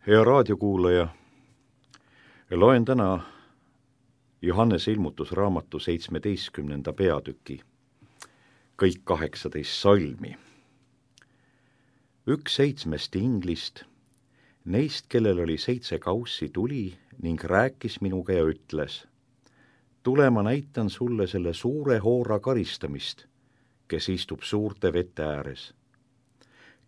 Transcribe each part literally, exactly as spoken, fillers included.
Hea raadiokuulaja, loen täna Johannese ilmutusraamatu seitsmeteistkümnenda peatüki, kõik kaheksateist salmi. Üks seitsmest inglist, neist, kellel oli seitse kaussi, tuli ning rääkis minuga ja ütles: tule, ma näitan sulle selle suure hoora karistamist, kes istub suurte vete ääres,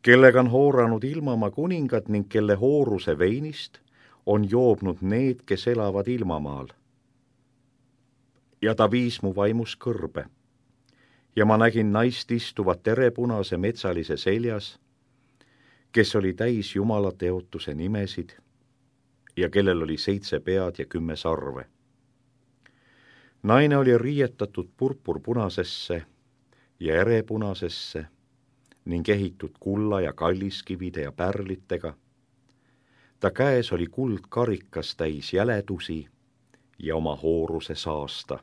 kellega on hooranud ilmamaa kuningad ning kelle hooruse veinist on joobnud need, kes elavad ilmamaal. Ja ta viis mu vaimus kõrbe ja ma nägin naist istuvat terepunase metsalise seljas, kes oli täis Jumala teotuse nimesid ja kellel oli seitse pead ja kümme sarve. Naine oli riietatud purpurpunasesse ja erepunasesse ning ehitud kulla ja kalliskivide ja pärlitega. Ta käes oli kuldkarikas täis jäledusi ja oma hooruse saasta.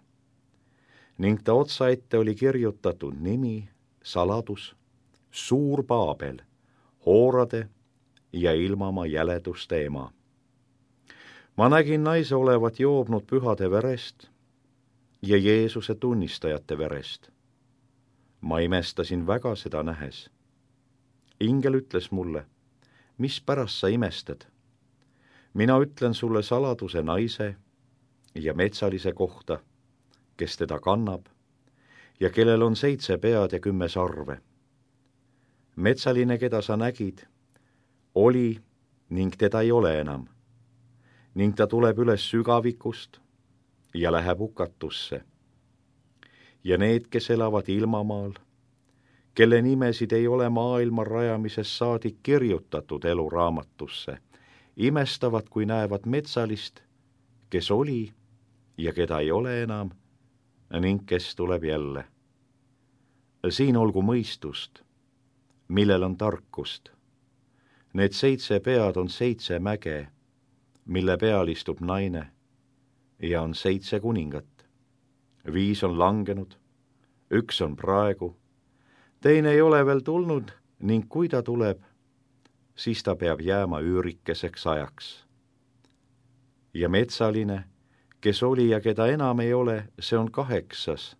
Ning ta otsaette oli kirjutatud nimi, saladus, suur Paabel, hoorade ja ilmamaa jäleduste ema. Ma nägin naise olevat joobnud pühade verest ja Jeesuse tunnistajate verest. Ma imestasin väga seda nähes. Ingel ütles mulle: mis pärast sa imestad? Mina ütlen sulle saladuse naise ja metsalise kohta, kes teda kannab ja kellel on seitse pead ja kümme sarve. Metsaline, keda sa nägid, oli ning teda ei ole enam, ning ta tuleb üles sügavikust ja läheb hukatusse. Ja need, kes elavad ilmamaal, kelle nimesid ei ole maailma rajamisest saadik kirjutatud eluraamatusse, imestavad, kui näevad metsalist, kes oli ja keda ei ole enam, ning kes tuleb jälle. Siin olgu mõistust, millel on tarkust. Need seitse pead on seitse mäge, mille peal istub naine, ja on seitse kuningat. Viis on langenud, üks on praegu, teine ei ole veel tulnud ning kui ta tuleb, siis ta peab jääma üürikeseks ajaks. Ja metsaline, kes oli ja keda enam ei ole, see on kaheksas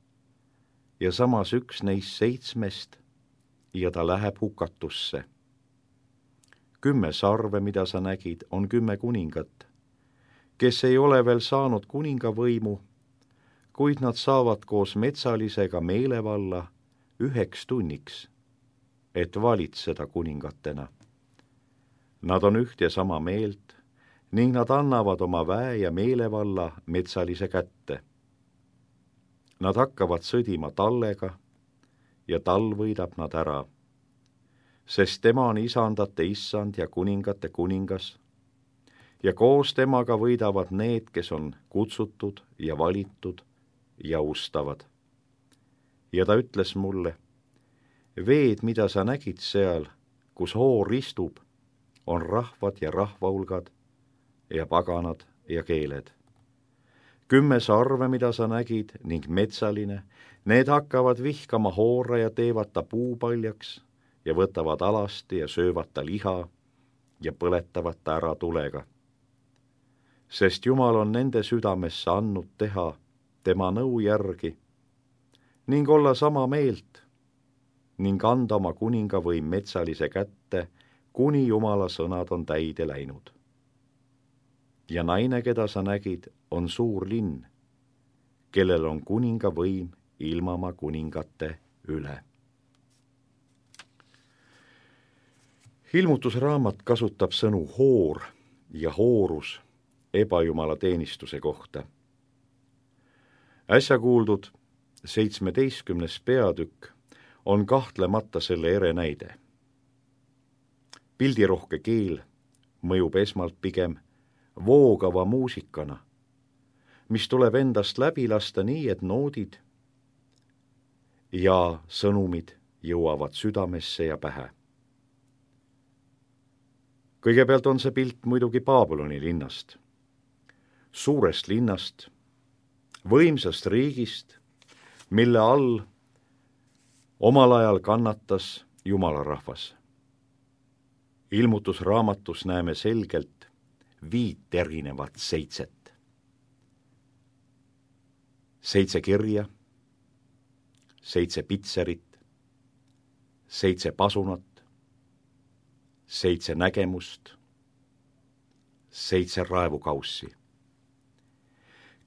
ja samas üks neist seitsmest ja ta läheb hukatusse. Kümme sarve, mida sa nägid, on kümme kuningat, kes ei ole veel saanud kuningavõimu, kuid nad saavad koos metsalisega meelevalla üheks tunniks, et valitseda kuningatena. Nad on üht ja sama meelt ning nad annavad oma väe ja meelevalla metsalise kätte. Nad hakkavad sõdima tallega ja tal võidab nad ära, sest tema on isandate issand ja kuningate kuningas ja koos temaga võidavad need, kes on kutsutud ja valitud ja ustavad. Ja ta ütles mulle: veed, mida sa nägid seal, kus hoor istub, on rahvad ja rahvahulgad ja paganad ja keeled. Kümme sarve, mida sa nägid, ning metsaline, need hakkavad vihkama hoora ja teevad ta puupaljaks ja võtavad alasti ja söövad ta liha ja põletavad ta ära tulega. Sest Jumal on nende südamesse andnud teha tema nõu järgi ning olla sama meelt ning anda oma kuningavõim metsalise kätte, kuni Jumala sõnad on täide läinud. Ja naine, keda sa nägid, on suur linn, kellel on kuningavõim ilmamaa kuningate üle. Ilmutusraamat kasutab sõnu hoor ja hoorus ebajumala teenistuse kohta. Äsja kuuldud seitsmeteistkümnes peatükk on kahtlemata selle ere näide. Pildirohke keel mõjub esmalt pigem voogava muusikana, mis tuleb endast läbi lasta nii, et noodid ja sõnumid jõuavad südamesse ja pähe. Kõigepealt on see pilt muidugi Babyloni linnast, suurest linnast, võimsast riigist, mille all omal ajal kannatas Jumala rahvas. ilmutusraamatus näeme selgelt viit erinevat seitset. Seitse kirja, seitse pitserit, seitse pasunat, seitse nägemust, seitse raevukaussi.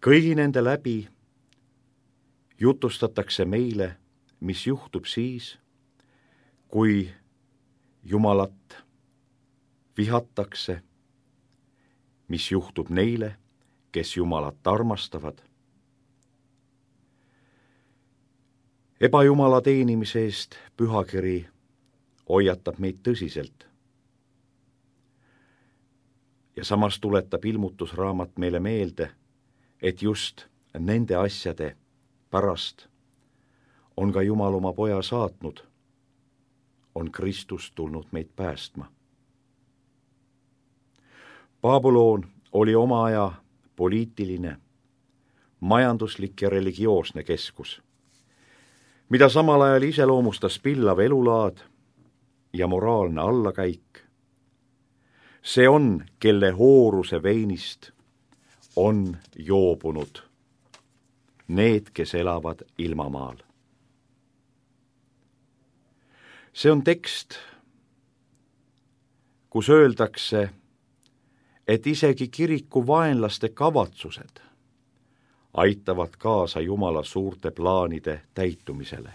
kõigi nende läbi jutustatakse meile, mis juhtub siis, kui Jumalat vihatakse, mis juhtub neile, kes Jumalat armastavad. Ebajumala teenimise eest pühakiri hoiatab meid tõsiselt. Ja samas tuletab ilmutusraamat meile meelde, et just nende asjade pärast on ka Jumal oma poja saatnud, on Kristus tulnud meid päästma. Babylon oli oma aja poliitiline, majanduslik ja religioosne keskus, mida samal ajal iseloomustas pillav elulaad ja moraalne allakäik. See on, kelle hooruse veinist on joobunud need, kes elavad ilmamaal. See on tekst, kus öeldakse, et isegi kiriku vaenlaste kavatsused aitavad kaasa Jumala suurte plaanide täitumisele.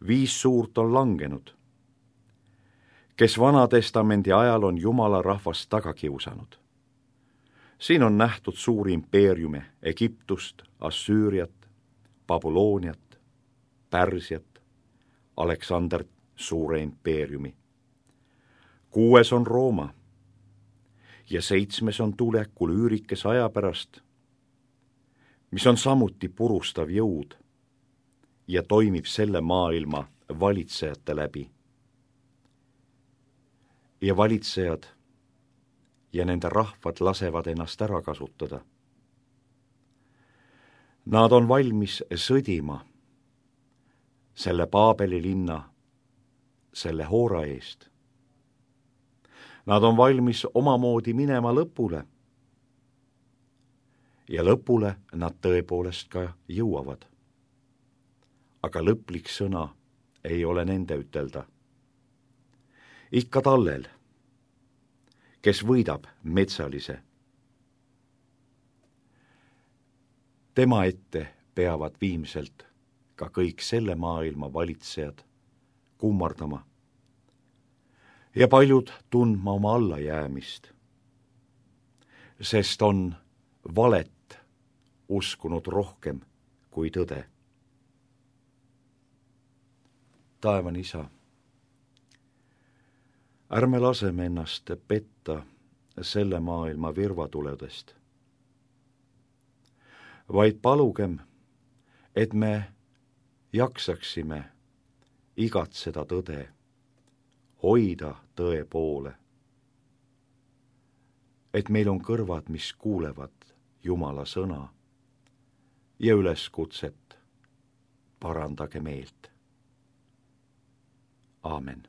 Viis suurt on langenud, kes Vana-testamendi ajal on Jumala rahvast taga kiusanud. Siin on nähtud suuri impeeriume Egiptust, Assüüriat, Babyloniat, Pärsiat, Aleksander suure impeeriumi. Kuues on Rooma ja seitsmes on tulekul üürikes aja pärast, mis on samuti purustav jõud ja toimib selle maailma valitsejate läbi. Ja valitsejad ja nende rahvad lasevad ennast ära kasutada. Nad on valmis sõdima selle Paabeli linna, selle hoora eest. Nad on valmis omamoodi minema lõpule. Ja lõpule nad tõepoolest ka jõuavad. Aga lõplik sõna ei ole nende ütelda. Ikka tallel, kes võidab metsalise. Tema ette peavad viimselt ka kõik selle maailma valitsejad kummardama ja paljud tundma oma allajäämist, sest on valet uskunud rohkem kui tõde. Taevane Isa, ärme laseme ennast petta selle maailma virvatuledest, vaid palugem, et me jaksaksime igatseda tõde, hoida tõe poole, et meil on kõrvad, mis kuulevad Jumala sõna ja üleskutset parandage meelt. Aamen.